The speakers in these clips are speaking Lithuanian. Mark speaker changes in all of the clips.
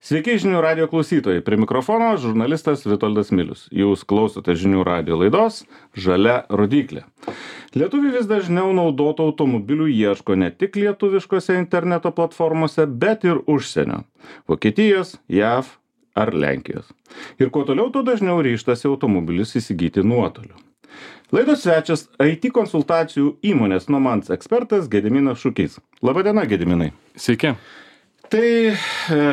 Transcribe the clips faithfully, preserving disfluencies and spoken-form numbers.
Speaker 1: Sveiki žinių radio klausytojai. Prie mikrofono žurnalistas Vitoldas Milius. Jūs klausote žinių radio laidos Žalia rodyklė. Lietuviai vis dažniau naudotų automobilių ieško ne tik lietuviškose interneto platformose, bet ir užsienio. Vokietijos, J A V ar Lenkijos. Ir kuo toliau, tuo dažniau ryžtasi automobilius įsigyti nuotoliu. Laidos svečias I T konsultacijų įmonės Nomans ekspertas Gediminas Šukys. Labadiena, Gediminai.
Speaker 2: Sveiki.
Speaker 1: Tai e,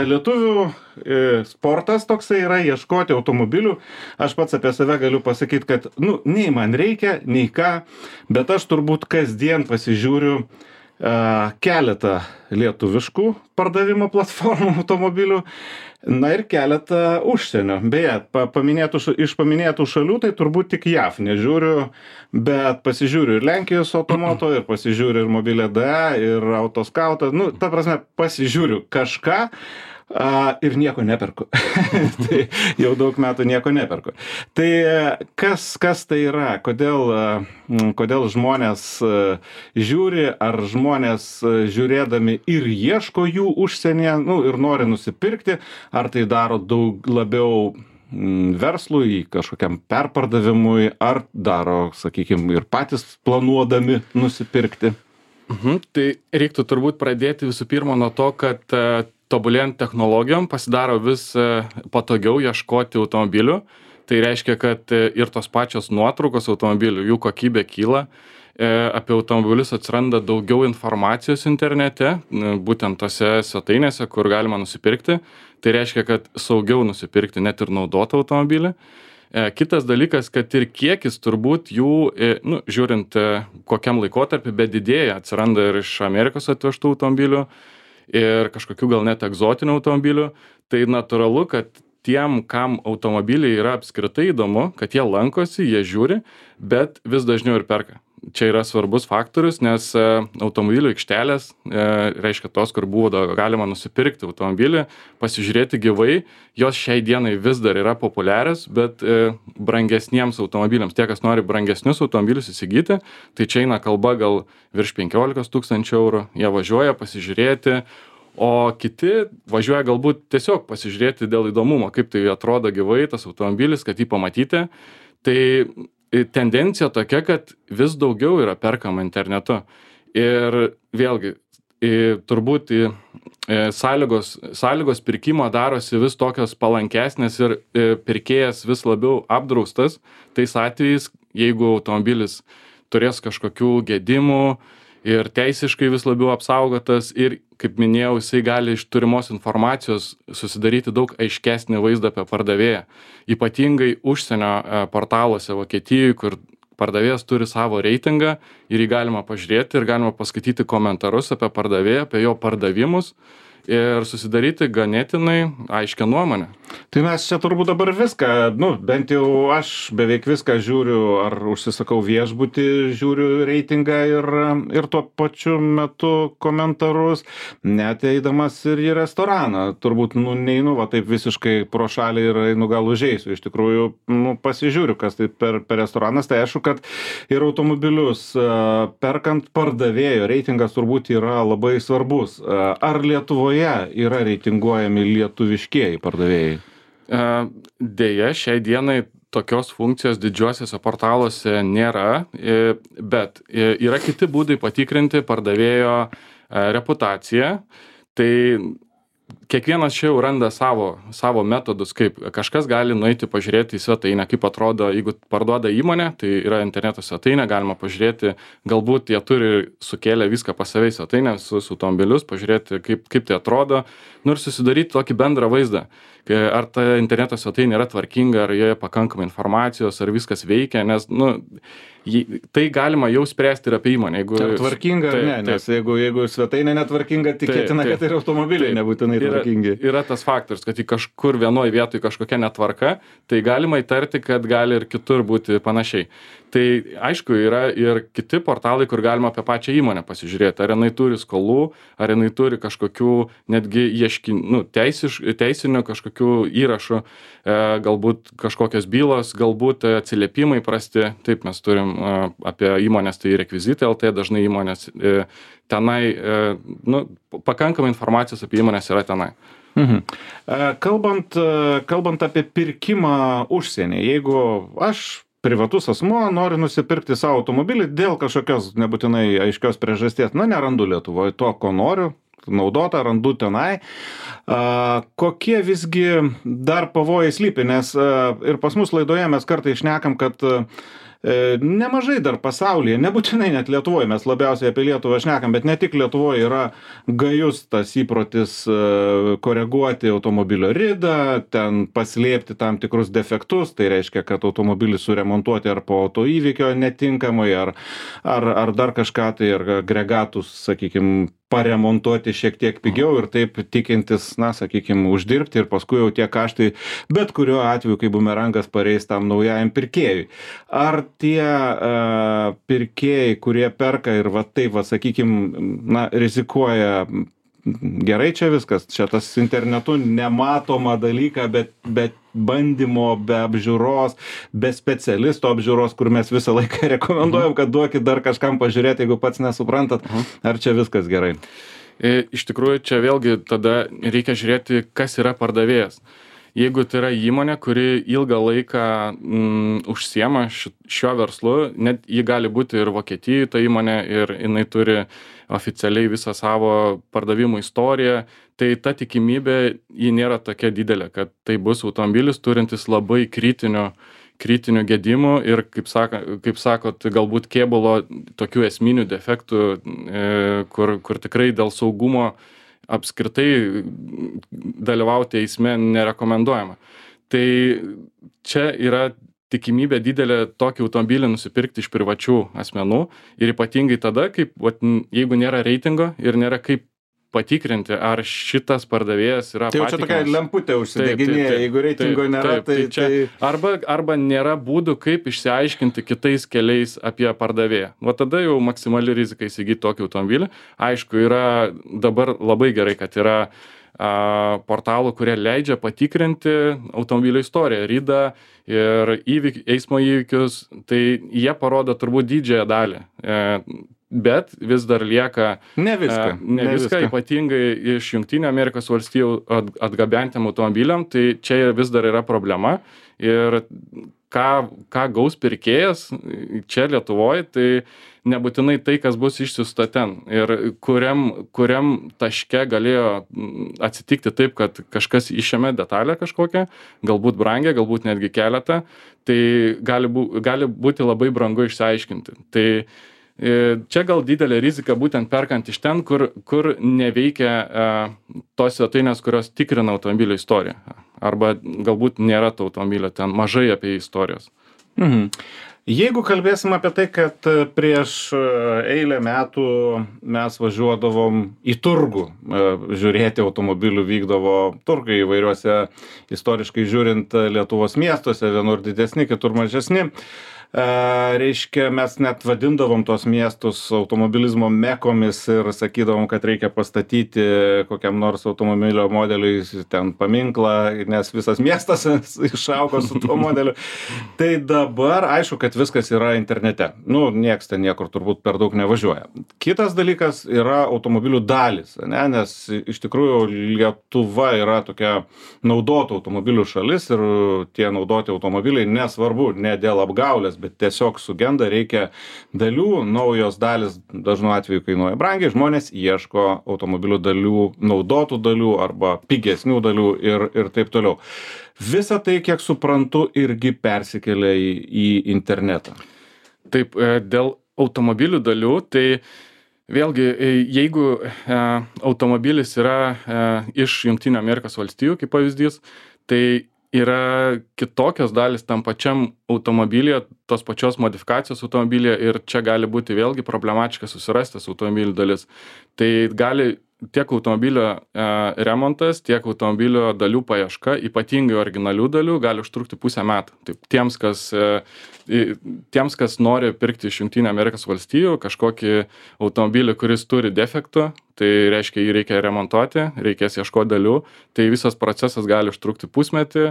Speaker 1: lietuvių e, sportas toksai yra ieškoti automobilių. Aš pats apie save galiu pasakyti, kad nu, nei man reikia, nei ką, bet aš turbūt kasdien pasižiūriu e, keletą lietuviškų pardavimo platformų automobilių, na ir keletą užsienio. Beje, pa, paminėtų, iš paminėtų šalių tai turbūt tik J A V nežiūriu, bet pasižiūriu ir Lenkijos automoto, ir pasižiūriu ir Mobilė D A, ir Autoskautą. Nu, ta prasme, pasižiūriu kažką a, ir nieko neperku. Tai jau daug metų nieko neperku. Tai kas, kas tai yra? Kodėl, kodėl žmonės žiūri, ar žmonės žiūrėdami ir ieško jų užsienyje, nu, ir nori nusipirkti, ar tai daro daug labiau verslui, kažkokiam perpardavimui, ar daro, sakykime, ir patys planuodami nusipirkti?
Speaker 2: Mhm. Tai reiktų turbūt pradėti visų pirma nuo to, kad uh, tobulėjant technologijom pasidaro vis uh, patogiau ieškoti automobilių. Tai reiškia, kad uh, ir tos pačios nuotraukos automobilių, jų kokybė kyla. Apie automobilius atsiranda daugiau informacijos internete, būtent tose svetainėse, kur galima nusipirkti. Tai reiškia, kad saugiau nusipirkti net ir naudotą automobilį. Kitas dalykas, kad ir kiekis turbūt jų, nu, žiūrint kokiam laikotarpį, bet didėja, atsiranda ir iš Amerikos atvežtų automobilių ir kažkokių gal net egzotinių automobilių. Tai natūralu, kad tiem, kam automobiliai yra apskritai įdomu, kad jie lankosi, jie žiūri, bet vis dažniau ir perka. Čia yra svarbus faktorius, nes automobilių aikštelės, reiškia tos, kur buvo galima nusipirkti automobilį, pasižiūrėti gyvai, jos šiai dienai vis dar yra populiarios, bet brangesniems automobiliams, tie, kas nori brangesnius automobilius įsigyti, tai čia eina kalba gal virš penkiolikos tūkstančių eurų, jie važiuoja pasižiūrėti, o kiti važiuoja galbūt tiesiog pasižiūrėti dėl įdomumo, kaip tai atrodo gyvai tas automobilis, kad jį pamatyti. Tai tendencija tokia, kad vis daugiau yra perkama internetu. Ir vėlgi, turbūt sąlygos, sąlygos pirkimo darosi vis tokios palankesnės ir pirkėjas vis labiau apdraustas. Tais atvejais, jeigu automobilis turės kažkokių gedimų ir teisiškai vis labiau apsaugotas ir, kaip minėjau, jisai gali iš turimos informacijos susidaryti daug aiškesnį vaizdą apie pardavėją. Ypatingai užsienio portaluose Vokietijoje, kur pardavėjas turi savo reitingą ir jį galima pažiūrėti ir galima paskaityti komentarus apie pardavėją, apie jo pardavimus ir susidaryti ganėtinai aiškią nuomonę.
Speaker 1: Tai mes čia turbūt dabar viską, nu, bent jau aš beveik viską žiūriu, ar užsisakau viešbutį, žiūriu reitingą ir, ir tuo pačiu metu komentarus, net eidamas ir į restoraną. Turbūt, nu, neinu, va taip visiškai pro šalį ir einu gal užeisiu. Iš tikrųjų, nu, pasižiūriu, kas tai per, per restoranas. Tai aišku, kad ir automobilius perkant pardavėjo reitingas turbūt yra labai svarbus. Ar Lietuvoje yra reitinguojami lietuviškieji pardavėjai?
Speaker 2: Deja, šiai dienai tokios funkcijos didžiuosiuose portaluose nėra, bet yra kiti būdai patikrinti pardavėjo reputaciją. Tai kiekvienas čia jau randa savo, savo metodus, kaip kažkas gali nueiti pažiūrėti į svetainę, kaip atrodo, jeigu parduoda įmonė, tai yra interneto svetainė, galima pažiūrėti, galbūt jie turi sukėlę viską pas save į svetainę, visus automobilius, pažiūrėti, kaip, kaip tai atrodo, nu ir susidaryti tokį bendrą vaizdą, ar ta interneto svetainė yra tvarkinga, ar joje pakankamai informacijos, ar viskas veikia, nes, nu, tai galima jau spręsti ir apie įmonę. Jeigu
Speaker 1: tvarkinga ar ne, nes jeigu, jeigu svetainė netvarkinga, tikėtina, kad ir automobiliai nebūtinai tvarkingi.
Speaker 2: Yra, yra tas faktorius, kad į kažkur vienoj vietoj kažkokia netvarka, tai galima įtarti, kad gali ir kitur būti panašiai. Tai aišku, yra ir kiti portalai, kur galima apie pačią įmonę pasižiūrėti, ar jinai turi skolų, ar jinai turi kažkokių netgi ieškin, nu, teisiš, teisinių kažkokių įrašų, e, galbūt kažkokios bylos, galbūt atsiliepimai prasti. Taip, mes turim e, apie įmonės, tai rekvizitai L T, dažnai įmonės e, tenai, e, nu, pakankamai informacijos apie įmonės yra tenai.
Speaker 1: Mhm. Kalbant, kalbant apie pirkimą užsienį, jeigu aš privatus asmuo noriu nusipirkti savo automobilį dėl kažkokios nebūtinai aiškios priežasties, na, nerandu Lietuvoje to, ko noriu, naudotą randu tenai. A, kokie visgi dar pavojai slypi, nes a, ir pas mus laidoje mes kartais šnekam, kad a, nemažai dar pasaulyje, nebūtinai net Lietuvoje, mes labiausiai apie Lietuvą šnekam, bet ne tik Lietuvoje yra gajus tas įprotis koreguoti automobilio ridą, ten paslėpti tam tikrus defektus, tai reiškia, kad automobilį suremontuoti ar po autoįvykio netinkamai, ar, ar, ar dar kažką, tai ar agregatus, sakykime, paremontuoti šiek tiek pigiau ir taip tikintis, na, sakykime, uždirbti ir paskui jau tie kaštai, bet kuriuo atveju, kai bumerangas pareis tam naujajam pirkėjui. Ar tie uh, pirkėjai, kurie perka ir va taip, va, sakykime, na, rizikuoja, gerai čia viskas, čia tas internetu nematoma dalyka, bet, bet bandymo, be apžiūros, be specialisto apžiūros, kur mes visą laiką rekomenduojam, kad duokit dar kažkam pažiūrėti, jeigu pats nesuprantat, ar čia viskas gerai.
Speaker 2: Iš tikrųjų, čia vėlgi tada reikia žiūrėti, kas yra pardavėjas. Jeigu tai yra įmonė, kuri ilgą laiką mm, užsiema šiuo verslu, net jį gali būti ir Vokietijoje ta įmonė ir jinai turi oficialiai visą savo pardavimų istoriją, tai ta tikimybė ji nėra tokia didelė, kad tai bus automobilis turintis labai kritinių, kritinių gedimų ir, kaip, saka, kaip sakot, galbūt kėbulo tokių esminių defektų, e, kur, kur tikrai dėl saugumo apskritai dalyvauti eisme nerekomenduojama. Tai čia yra tikimybė didelė tokį automobilį nusipirkti iš privačių asmenų ir ypatingai tada, kaip, vat, jeigu nėra reitingo ir nėra kaip patikrinti, ar šitas pardavėjas yra
Speaker 1: patikimas. Tai jau čia tokia lemputė užsideginėja, jeigu reitingo nėra, taip, tai...
Speaker 2: tai, tai... Arba, arba nėra būdų, kaip išsiaiškinti kitais keliais apie pardavėją. Va tada jau maksimali rizika įsigyti tokį automobilį. Aišku, yra dabar labai gerai, kad yra a, portalų, kurie leidžia patikrinti automobilio istoriją, ridą ir įvyk, eismo įvykius. Tai jie parodo turbūt didžiąją dalį. E, bet vis dar lieka
Speaker 1: ne viską,
Speaker 2: ne
Speaker 1: ne
Speaker 2: viską,
Speaker 1: viską.
Speaker 2: Ypatingai iš Jungtinių Amerikos valstijų atgabentiem automobiliam, tai čia vis dar yra problema. Ir ką, ką gaus pirkėjas čia Lietuvoje, tai nebūtinai tai, kas bus išsiųsta ten. Ir kuriam, kuriam taške galėjo atsitikti taip, kad kažkas išėmė detalę kažkokią, galbūt brangią, galbūt netgi keletą, tai gali, bū, gali būti labai brangu išsiaiškinti. Tai čia gal didelė rizika būtent perkant iš ten, kur, kur neveikia e, tos svetainės, kurios tikrina automobilio istoriją. Arba galbūt nėra to automobilio ten, mažai apie istorijos.
Speaker 1: Mhm. Jeigu kalbėsim apie tai, kad prieš eilę metų mes važiuodavom į turgų, žiūrėti automobilių, vykdavo turgai įvairiuose, istoriškai žiūrint, Lietuvos miestuose, vienur didesni, kitur mažesni. Reiškia, mes net vadindavom tos miestus automobilizmo mekomis ir sakydavom, kad reikia pastatyti kokiam nors automobilio modeliui ten paminklą, nes visas miestas išaugo su tuo modeliu. Tai dabar aišku, kad viskas yra internete. Nu, nieks ten niekur turbūt per daug nevažiuoja. Kitas dalykas yra automobilių dalis, ne? Nes iš tikrųjų Lietuva yra tokia naudotų automobilių šalis ir tie naudoti automobiliai nesvarbu, ne dėl apgaulės, bet tiesiog sugenda, reikia dalių, naujos dalis dažnu atveju kainuoja brangiai, žmonės ieško automobilių dalių, naudotų dalių arba pigesnių dalių ir, ir taip toliau. Visa tai, kiek suprantu, irgi persikelia į, į internetą.
Speaker 2: Taip, dėl automobilių dalių, tai vėlgi, jeigu automobilis yra iš Jungtinių Amerikos valstijų, kaip pavyzdys, tai yra kitokios dalis tam pačiam automobilyje, tos pačios modifikacijos automobilyje ir čia gali būti vėlgi problematiška susirasti tas automobilių dalis. Tai gali tiek automobilio e, remontas, tiek automobilio dalių paieška, ypatingai originalių dalių, gali užtrukti pusę metų. Taip, tiems, kas, e, tiems, kas nori pirkti iš Jungtinių Amerikos valstijų kažkokį automobilį, kuris turi defektų, tai reiškia, jį reikia remontuoti, reikės ieškoti dalių, tai visas procesas gali užtrukti pusmetį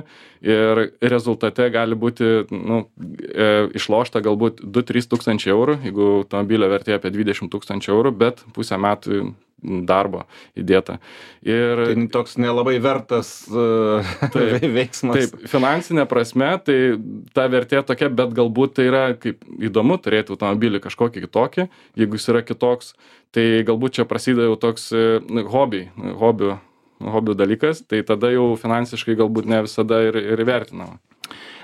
Speaker 2: ir rezultate gali būti nu, e, išlošta galbūt du trys tūkstančiai eurų, jeigu automobilio vertė apie dvidešimt tūkstančių eurų, bet pusę metų darbo įdėta. Ir
Speaker 1: tai toks nelabai vertas uh, taip, veiksmas.
Speaker 2: Taip, finansinė prasme, tai ta vertė tokia, bet galbūt tai yra kaip įdomu turėti automobilį kažkokį kitokį, jeigu jis yra kitoks, tai galbūt čia prasideda jau toks hobi, hobių, hobių dalykas, tai tada jau finansiškai galbūt ne visada ir, ir vertinama.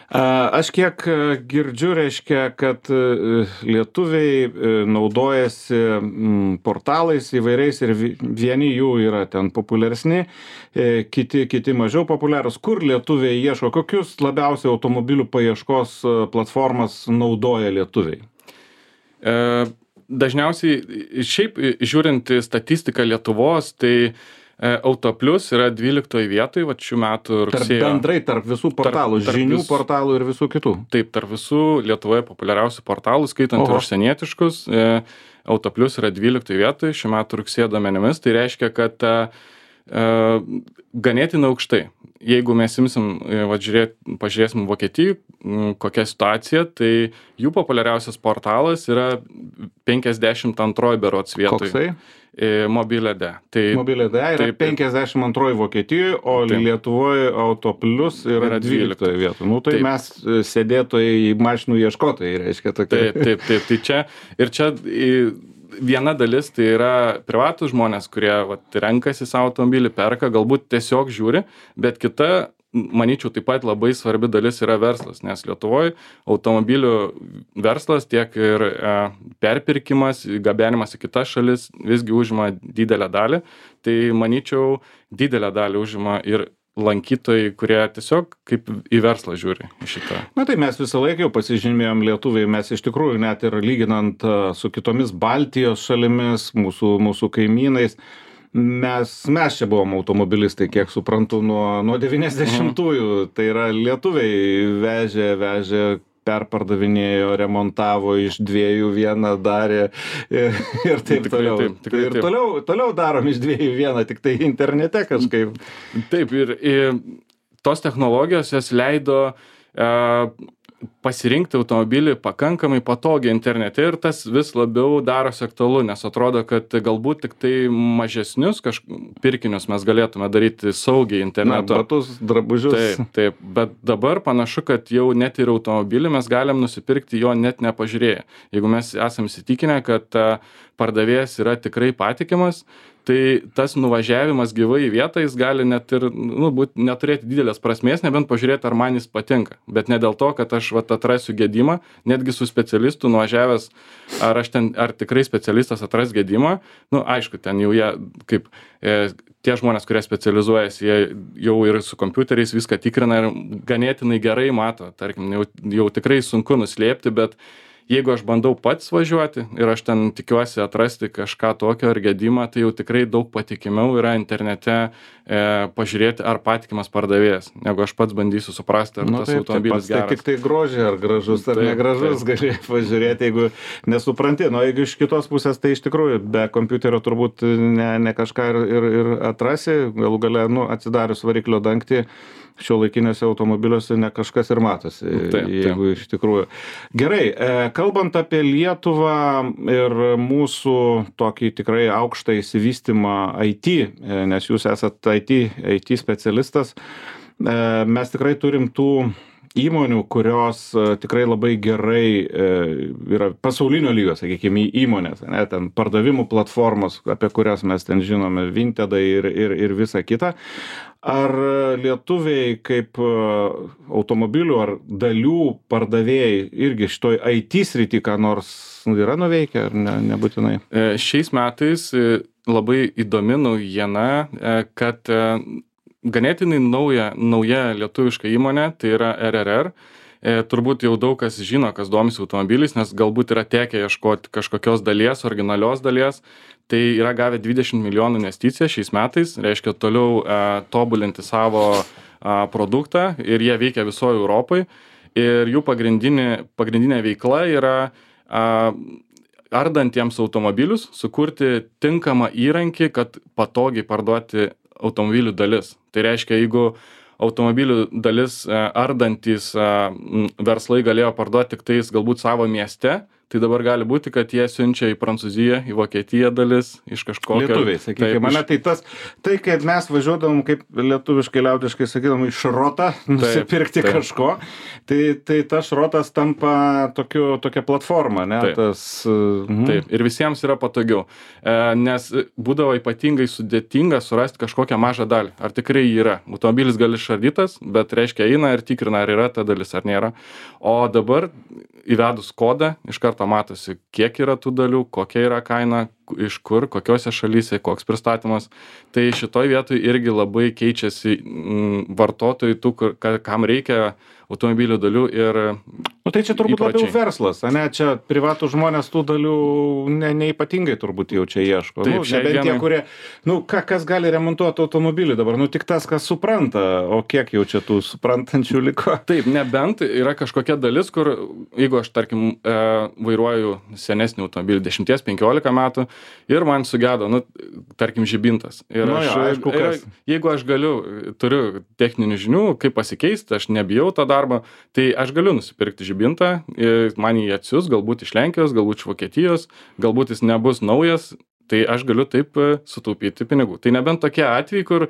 Speaker 1: Aš kiek girdžiu, reiškia, kad lietuviai naudojasi portalais įvairiais ir vieni jų yra ten populiaresni, kiti, kiti mažiau populiarūs. Kur lietuviai ieško, kokius labiausiai automobilių paieškos platformas naudoja lietuviai?
Speaker 2: E, dažniausiai, šiaip žiūrint statistiką Lietuvos, tai Autoplius yra dvyliktoj vietoj, va šių metų rugsėjo.
Speaker 1: Tarp bendrai tarp visų portalų, tarp, tarp žinių vis... portalų ir visų kitų.
Speaker 2: Taip, tarp visų Lietuvoje populiariausių portalų, skaitant Oho. ir užsienietiškus, e, Autoplius yra dvyliktoj vietoj šių metų rugsėjo duomenimis. Tai reiškia, kad e, ganėtinai aukštai. Jeigu mes imsim, va, žiūrėt, pažiūrėsim Vokietijų, kokia situacija, tai jų populiariausias portalas yra penkiasdešimt antroj berods vietoj.
Speaker 1: Koksai?
Speaker 2: Mobilė.de. Tai,
Speaker 1: Mobilė.de yra taip, penkiasdešimt antroj Vokietijoje, o taip. Lietuvoje Autoplius yra, yra dvyliktoje vietoje. Nu, tai taip. Mes sėdėtojai mašinų ieškotojai, reiškia tokia.
Speaker 2: Taip, taip, taip. Tai čia, ir čia viena dalis tai yra privatus žmonės, kurie vat, renkasi savo automobilį, perka, galbūt tiesiog žiūri, bet kita, manyčiau, taip pat labai svarbi dalis yra verslas, nes Lietuvoje automobilių verslas tiek ir e, perpirkimas, gabenimas į kitas šalis visgi užima didelę dalį. Tai manyčiau, didelę dalį užima ir lankytojai, kurie tiesiog kaip į verslą žiūri šitą.
Speaker 1: Na tai mes visą laiką jau pasižymėjom lietuviai, mes iš tikrųjų net ir lyginant su kitomis Baltijos šalimis, mūsų, mūsų kaimynais, Mes, mes čia buvom automobilistai, kiek suprantu, nuo, nuo devyniasdešimtųjų. Mhm. Tai yra lietuviai vežė, vežė, perpardavinėjo, remontavo, iš dviejų vieną darė ir, ir taip tikrai, toliau. Taip, tikrai, ir taip. Toliau, toliau darom iš dviejų vieną, tik tai internete kažkaip.
Speaker 2: Taip, ir, ir tos technologijos jas leido uh, pasirinkti automobilį pakankamai patogiai internete ir tas vis labiau darosi aktualu, nes atrodo, kad galbūt tik tai mažesnius kažkokius pirkinius mes galėtume daryti saugiai internetu.
Speaker 1: Na, batus, drabužius.
Speaker 2: Taip, taip, bet dabar panašu, kad jau net ir automobilį mes galim nusipirkti jo net nepažiūrėję. Jeigu mes esam įsitikinę, kad pardavėjas yra tikrai patikimas, tai tas nuvažiavimas gyvai į vietą jis gali net ir nu, būt, neturėti didelės prasmės, nebent pažiūrėti, ar man jis patinka. Bet ne dėl to, kad aš vat, atrasiu gedimą, netgi su specialistu nuvažiavęs, ar aš ten, ar tikrai specialistas atras gedimą. Nu, aišku, ten jau jie, kaip e, tie žmonės, kurie specializuojasi, jie jau ir su kompiuteriais viską tikrina ir ganėtinai gerai mato. Tarkim, jau, jau tikrai sunku nuslėpti, bet jeigu aš bandau pats važiuoti ir aš ten tikiuosi atrasti kažką tokio ar gedimą, tai jau tikrai daug patikimiau yra internete e, pažiūrėti, ar patikimas pardavėjas, negu aš pats bandysiu suprasti, ar nu, tas taip, automobilis
Speaker 1: taip,
Speaker 2: geras.
Speaker 1: Tai tik tai grožį, ar gražus, ar taip, negražus gali pažiūrėti, jeigu nesupranti. Nu, jeigu iš kitos pusės, tai iš tikrųjų be kompiuterio turbūt ne, ne kažką ir, ir, ir atrasi, galų gale, nu, atsidarius variklio dangtį, šiuolaikiniuose automobiliuose ne kažkas ir matosi, taip, jeigu taip. Iš tikrųjų. Gerai, kalbant apie Lietuvą ir mūsų tokį tikrai aukštą įsivystymą I T, nes jūs esat I T, I T specialistas, mes tikrai turim tų įmonių, kurios tikrai labai gerai yra pasaulinio lygio, sakykime, įmonės, ne, ten pardavimų platformos, apie kurias mes ten žinome, Vintedai ir, ir, ir visa kita. Ar lietuviai kaip automobilių ar dalių pardavėjai irgi šitoj I T srity ką nors yra nuveikę, ar ne, nebūtinai?
Speaker 2: Šiais metais labai įdomi naujiena, kad ganėtinai nauja, nauja lietuviška įmonė, tai yra R R R. E, turbūt jau daug kas žino, kas domisi automobiliais, nes galbūt yra tekę ieškoti kažkokios dalies, originalios dalies. Tai yra gavę dvidešimt milijonų investiciją šiais metais, reiškia toliau e, tobulinti savo e, produktą ir jie veikia visoje Europoje. Ir jų pagrindinė, pagrindinė veikla yra e, ardantiems automobilius sukurti tinkamą įrankį, kad patogiai parduoti automobilių dalis. Tai reiškia, jeigu automobilių dalis ardantys verslai galėjo parduoti tik tais galbūt savo mieste, tai dabar gali būti, kad jie siunčia į Prancūziją, į Vokietiją dalis, iš kažkokio...
Speaker 1: Lietuviai, sakykime, mane tai tas, tai kaip mes važiuodavom, kaip lietuviškai, liaudiškai sakydam, į šrotą nusipirkti taip, taip. kažko, tai, tai tas šrotas tampa tokiu, tokia platforma, ne?
Speaker 2: Taip.
Speaker 1: Tas, mhm.
Speaker 2: Taip, ir visiems yra patogiau, e, nes būdavo ypatingai sudėtinga surasti kažkokią mažą dalį. Ar tikrai yra? Automobilis gali išardytas, bet reiškia eina ir tikrina, ar yra ta dalis, ar nėra. O dabar įvedus kodą, iš karto matosi, kiek yra tų dalių, kokia yra kaina, iš kur, kokiose šalyse, koks pristatymas. Tai šitoj vietoj irgi labai keičiasi m, vartotojai tų, kur, kam reikia automobilių dalių ir
Speaker 1: nu, tai čia turbūt
Speaker 2: įpročiai.
Speaker 1: Labiau verslas, ne? Čia privatų žmonės tų dalių ne, neipatingai turbūt jau čia ieško.
Speaker 2: Taip,
Speaker 1: nu, nebent
Speaker 2: dienai...
Speaker 1: tie, kurie, nu, ką, kas gali remontuoti automobilį dabar, nu, tik tas, kas supranta, o kiek jau čia tų suprantančių liko.
Speaker 2: Taip, nebent yra kažkokia dalis, kur, jeigu aš, tarkim, e, vairuoju senesnį automobilį dešimties penkiolika metų ir man sugedo, nu, tarkim, žibintas. Ir
Speaker 1: nu,
Speaker 2: aš,
Speaker 1: jo, aišku,
Speaker 2: ir, jeigu aš galiu, turiu techninių žinių, kaip pasikeisti, aš nebijau tą darbą, tai aš galiu nusipirkti žibintą, man jį atsius, galbūt iš Lenkijos, galbūt iš Vokietijos, galbūt jis nebus naujas, tai aš galiu taip sutaupyti pinigų. Tai nebent tokie atvejai, kur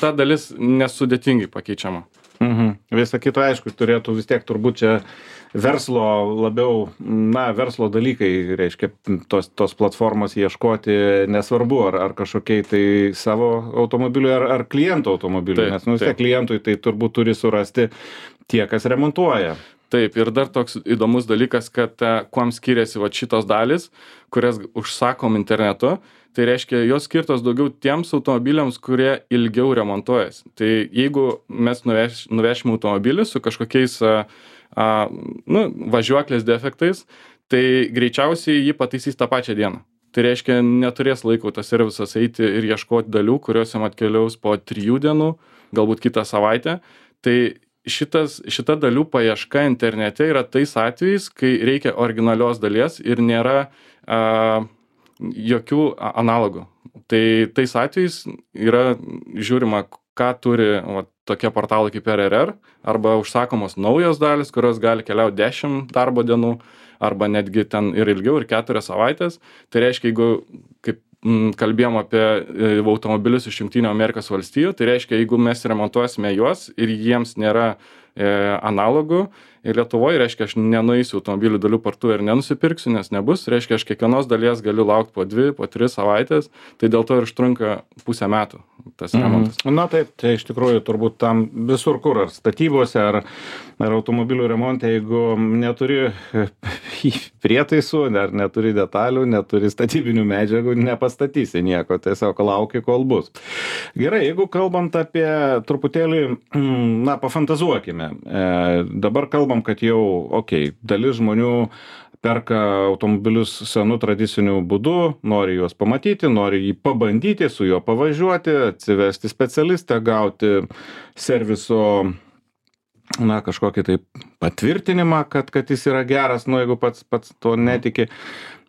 Speaker 2: ta dalis nesudėtingai pakeičiama.
Speaker 1: Mhm. Visa kita, aišku, turėtų vis tiek turbūt čia verslo labiau, na, verslo dalykai, reiškia, tos, tos platformos ieškoti, nesvarbu, ar, ar kažkokiai tai savo automobiliui, ar, ar kliento automobiliui, nes, nu, vis tiek klientui tai turbūt turi surasti tie, kas remontuoja.
Speaker 2: Taip, ir dar toks įdomus dalykas, kad kuom skiriasi va šitos dalis, kurias užsakom internetu, tai reiškia, jos skirtos daugiau tiems automobiliams, kurie ilgiau remontuojas. Tai jeigu mes nuveš, nuvešime automobilį su kažkokiais a, a, nu, važiuoklės defektais, tai greičiausiai jį pataisys tą pačią dieną. Tai reiškia, neturės laiko tas servisas eiti ir ieškoti dalių, kurios jam atkeliaus po trijų dienų, galbūt kitą savaitę. Tai šitas, šita dalių paieška internete yra tais atvejais, kai reikia originalios dalies ir nėra a, jokių analogų. Tai tais atvejais yra žiūrima, ką turi va, tokie portalai kaip R R R, arba užsakomos naujos dalis, kurios gali keliauti dešimt darbo dienų, arba netgi ten ir ilgiau, ir keturias savaitės. Tai reiškia, jeigu, kaip m, kalbėjom apie e, automobilius iš Jungtinių Amerikos valstijų, tai reiškia, jeigu mes remontuosime juos ir jiems nėra e, analogų, ir Lietuvoje, reiškia, aš nenueisiu automobilių dalių parduotuvę ir nenusipirksiu, nes nebus, reiškia, aš kiekvienos dalies galiu laukti po dvi, po tris savaitės, tai dėl to ir užtrunka pusę metų tas remontas.
Speaker 1: Mhm. Na taip, tai iš tikrųjų turbūt tam visur kur, ar statybose, ar, ar automobilių remonte, jeigu neturi prietaisų, ar neturi detalių, neturi statybinių medžiagų, nepastatysi nieko, tiesiog lauki, kol bus. Gerai, jeigu kalbant apie truputėlį, na, pafantazuokime, e, dabar kalbam, kad jau, okei, okay, dalis žmonių perka automobilius senu tradiciniu būdu, nori juos pamatyti, nori jį pabandyti, su juo pavažiuoti, atsivesti specialistą, gauti serviso, na, kažkokį tai patvirtinimą, kad, kad jis yra geras, nu, jeigu pats, pats to netiki.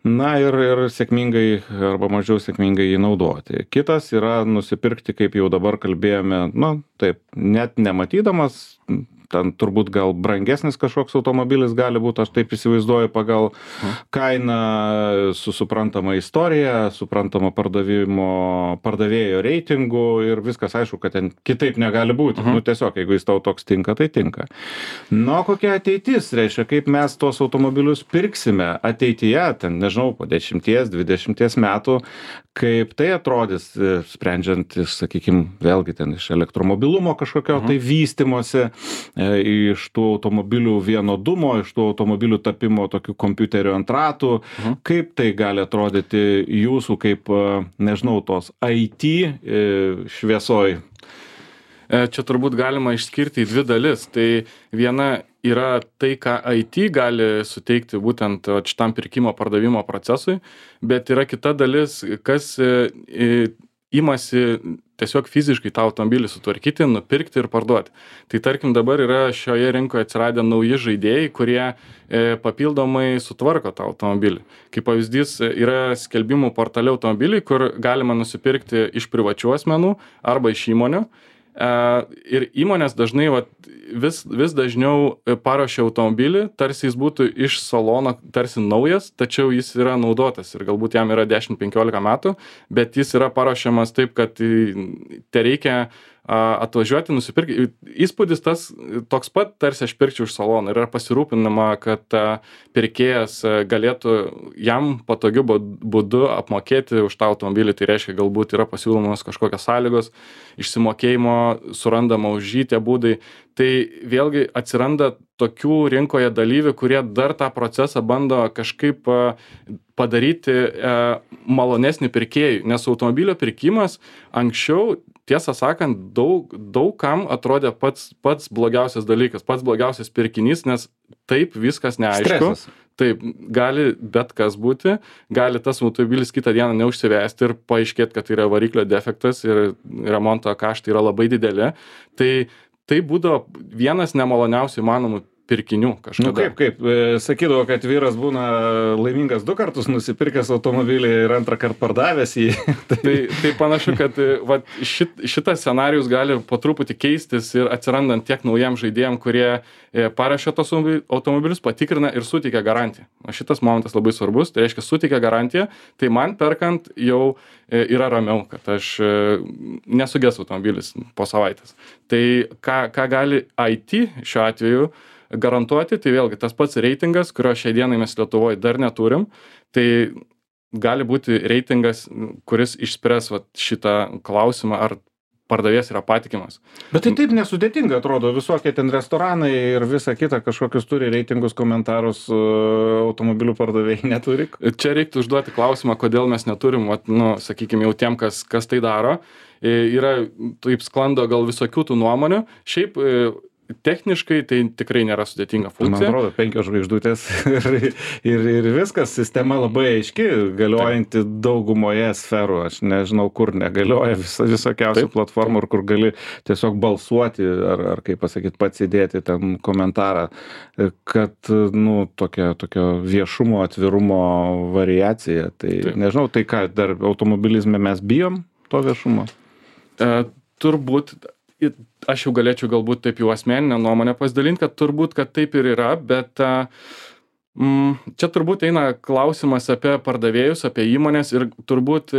Speaker 1: Na ir, ir sėkmingai arba mažiau sėkmingai jį naudoti. Kitas yra nusipirkti, kaip jau dabar kalbėjome, nu, taip, net nematydamas, ten turbūt gal brangesnis kažkoks automobilis gali būti, aš taip įsivaizduoju, pagal kainą su suprantama istorija, suprantama pardavimo, pardavėjo reitingų ir viskas aišku, kad ten kitaip negali būti. Uh-huh. Nu, tiesiog, jeigu jis tau toks tinka, tai tinka. Nu, kokia ateitis, reiškia, kaip mes tos automobilius pirksime ateityje, ten, nežinau, po dešimties, dvidešimties metų, kaip tai atrodys, sprendžiant, sakykime, vėlgi ten iš elektromobilumo kažkokio uh-huh. tai vystimosi, iš tų automobilių vienodumo, iš tų automobilių tapimo tokių kompiuterių ant ratų, uh-huh. kaip tai gali atrodyti jūsų kaip, nežinau, tos I T šviesoj?
Speaker 2: Čia turbūt galima išskirti į dvi dalis. Tai viena yra tai, ką I T gali suteikti būtent šitam pirkimo pardavimo procesui, bet yra kita dalis, kas imasi tiesiog fiziškai tą automobilį sutvarkyti, nupirkti ir parduoti. Tai tarkim dabar yra šioje rinkoje atsiradę nauji žaidėjai, kurie e, papildomai sutvarko tą automobilį. Kaip pavyzdys yra skelbimų portale automobiliai, kur galima nusipirkti iš privačių asmenų arba iš įmonių. Ir įmonės dažnai vat, vis, vis dažniau paruošia automobilį, tarsi jis būtų iš salono, tarsi naujas, tačiau jis yra naudotas ir galbūt jam yra dešimt penkiolika metų, bet jis yra paruošiamas taip, kad te reikia atvažiuoti, nusipirkti. Įspūdis tas toks pat, tarsi aš pirkčiau iš salono. Ir yra pasirūpinama, kad pirkėjas galėtų jam patogiu būdu apmokėti už tą automobilį. Tai reiškia, galbūt yra pasiūlomos kažkokios sąlygos, išsimokėjimo, surandama už jį tie būdai. Tai vėlgi atsiranda tokių rinkoje dalyvių, kurie dar tą procesą bando kažkaip padaryti malonesnį pirkėjui. Nes automobilio pirkimas anksčiau, tiesą sakant, daug, daug kam atrodė pats, pats blogiausias dalykas, pats blogiausias pirkinys, nes taip viskas neaišku. Stresas. Taip, gali bet kas būti, gali tas automobilis kitą dieną neužsivesti ir paaiškėti, kad tai yra variklio defektas ir remonto kaštai yra labai dideli. Tai tai būdavo vienas nemaloniausių įmanomų pirkinių kažkada.
Speaker 1: Nu kaip, kaip, sakydavo, kad vyras būna laimingas du kartus nusipirkęs automobilį ir antrą kartą pardavęs jį.
Speaker 2: tai, tai panašu, kad va, šit, šitas scenarijus gali po truputį keistis ir atsirandant tiek naujiem žaidėjim, kurie parašė tos automobilius, patikrina ir suteikia garantiją. O šitas momentas labai svarbus, tai reiškia suteikia garantiją, tai man perkant jau yra ramiau, kad aš nesugės automobilis po savaitės. Tai ką, ką gali I T šiuo atveju garantuoti, tai vėlgi tas pats reitingas, kurio šiai dienai mes Lietuvoje dar neturim, tai gali būti reitingas, kuris išspręs vat, šitą klausimą, ar pardavėjas yra patikimas.
Speaker 1: Bet tai taip nesudėtinga atrodo, visokie ten restoranai ir visa kita kažkokius turi reitingus, komentarus, automobilių pardavėjai neturi.
Speaker 2: Čia reiktų užduoti klausimą, kodėl mes neturim, vat, nu, sakykime, jau tiem, kas, kas tai daro. Yra, taip sklando gal visokių tų nuomonių. Šiaip techniškai tai tikrai nėra sudėtinga funkcija.
Speaker 1: Man atrodo, penkios žvaigždutės ir, ir, ir viskas, sistema labai aiški, galiojanti Taip. Daugumoje sferų. Aš nežinau, kur negalioja vis, visokiausių Taip. Platformų, kur gali tiesiog balsuoti ar, ar kaip pasakyti, pats įdėti ten komentarą, kad, nu, tokia, tokia viešumo, atvirumo variacija. Tai Taip. Nežinau, tai ką, dar automobilizme mes bijom to viešumo?
Speaker 2: E, turbūt aš jau galėčiau galbūt taip jau asmeninę nuomonę pasidalinti, kad turbūt, kad taip ir yra, bet mm, čia turbūt eina klausimas apie pardavėjus, apie įmonės ir turbūt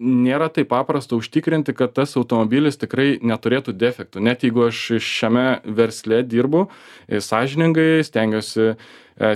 Speaker 2: nėra taip paprasta užtikrinti, kad tas automobilis tikrai neturėtų defektų. Net jeigu aš šiame versle dirbu, sąžiningai stengiuosi e,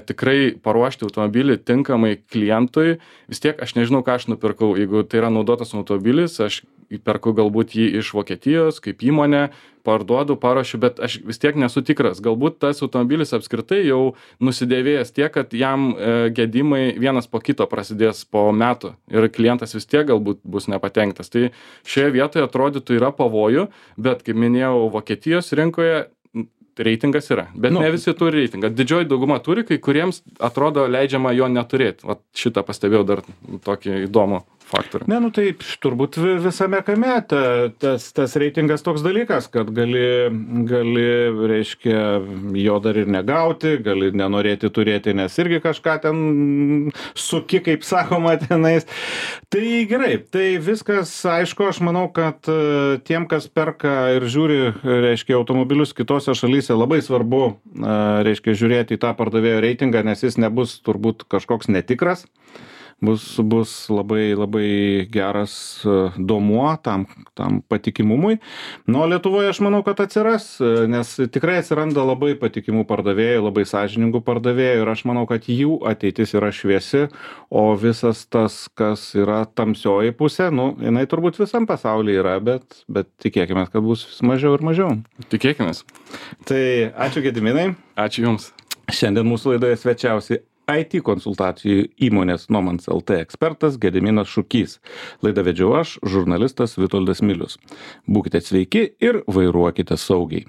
Speaker 2: tikrai paruošti automobilį tinkamai klientui, vis tiek aš nežinau, ką aš nupirkau. Jeigu tai yra naudotas automobilis, aš perku galbūt jį iš Vokietijos kaip įmonė, parduodu, paruošiu, bet aš vis tiek nesu tikras. Galbūt tas automobilis apskritai jau nusidėvėjęs tiek, kad jam e, gedimai vienas po kito prasidės po metų ir klientas vis tiek galbūt bus nepatenkintas. Tai šioje vietoje atrodytų yra pavojų, bet kaip minėjau, Vokietijos rinkoje reitingas yra, bet nu, ne visi turi reitingą. Didžioji dauguma turi, kai kuriems atrodo leidžiama jo neturėti. Vat šitą pastebėjau dar tokį įdomų faktorių.
Speaker 1: Ne, nu tai turbūt visame kame ta, tas, tas reitingas toks dalykas, kad gali, gali, reiškia, jo dar ir negauti, gali nenorėti turėti, nes irgi kažką ten suki, kaip sakoma, tenais. Tai gerai, tai viskas aišku, aš manau, kad tiem, kas perka ir žiūri, reiškia, automobilius kitose šalyse, labai svarbu, reiškia, žiūrėti į tą pardavėjo reitingą, nes jis nebus turbūt kažkoks netikras. Bus, bus labai, labai geras duomuo tam, tam patikimumui. Nu, Lietuvoje aš manau, kad atsiras, nes tikrai atsiranda labai patikimų pardavėjų, labai sąžiningų pardavėjų ir aš manau, kad jų ateitis yra šviesi, o visas tas, kas yra tamsioji pusė, nu, jinai turbūt visam pasaulyje yra, bet, bet tikėkime, kad bus vis mažiau ir mažiau.
Speaker 2: Tikėkime.
Speaker 1: Tai ačiū Gediminai.
Speaker 2: Ačiū Jums.
Speaker 1: Šiandien mūsų laidoje svečiausi I T konsultacijų įmonės Nomans L T ekspertas Gediminas Šukys. Laidą vedžiau aš, žurnalistas Vitoldas Milius. Būkite sveiki ir vairuokite saugiai.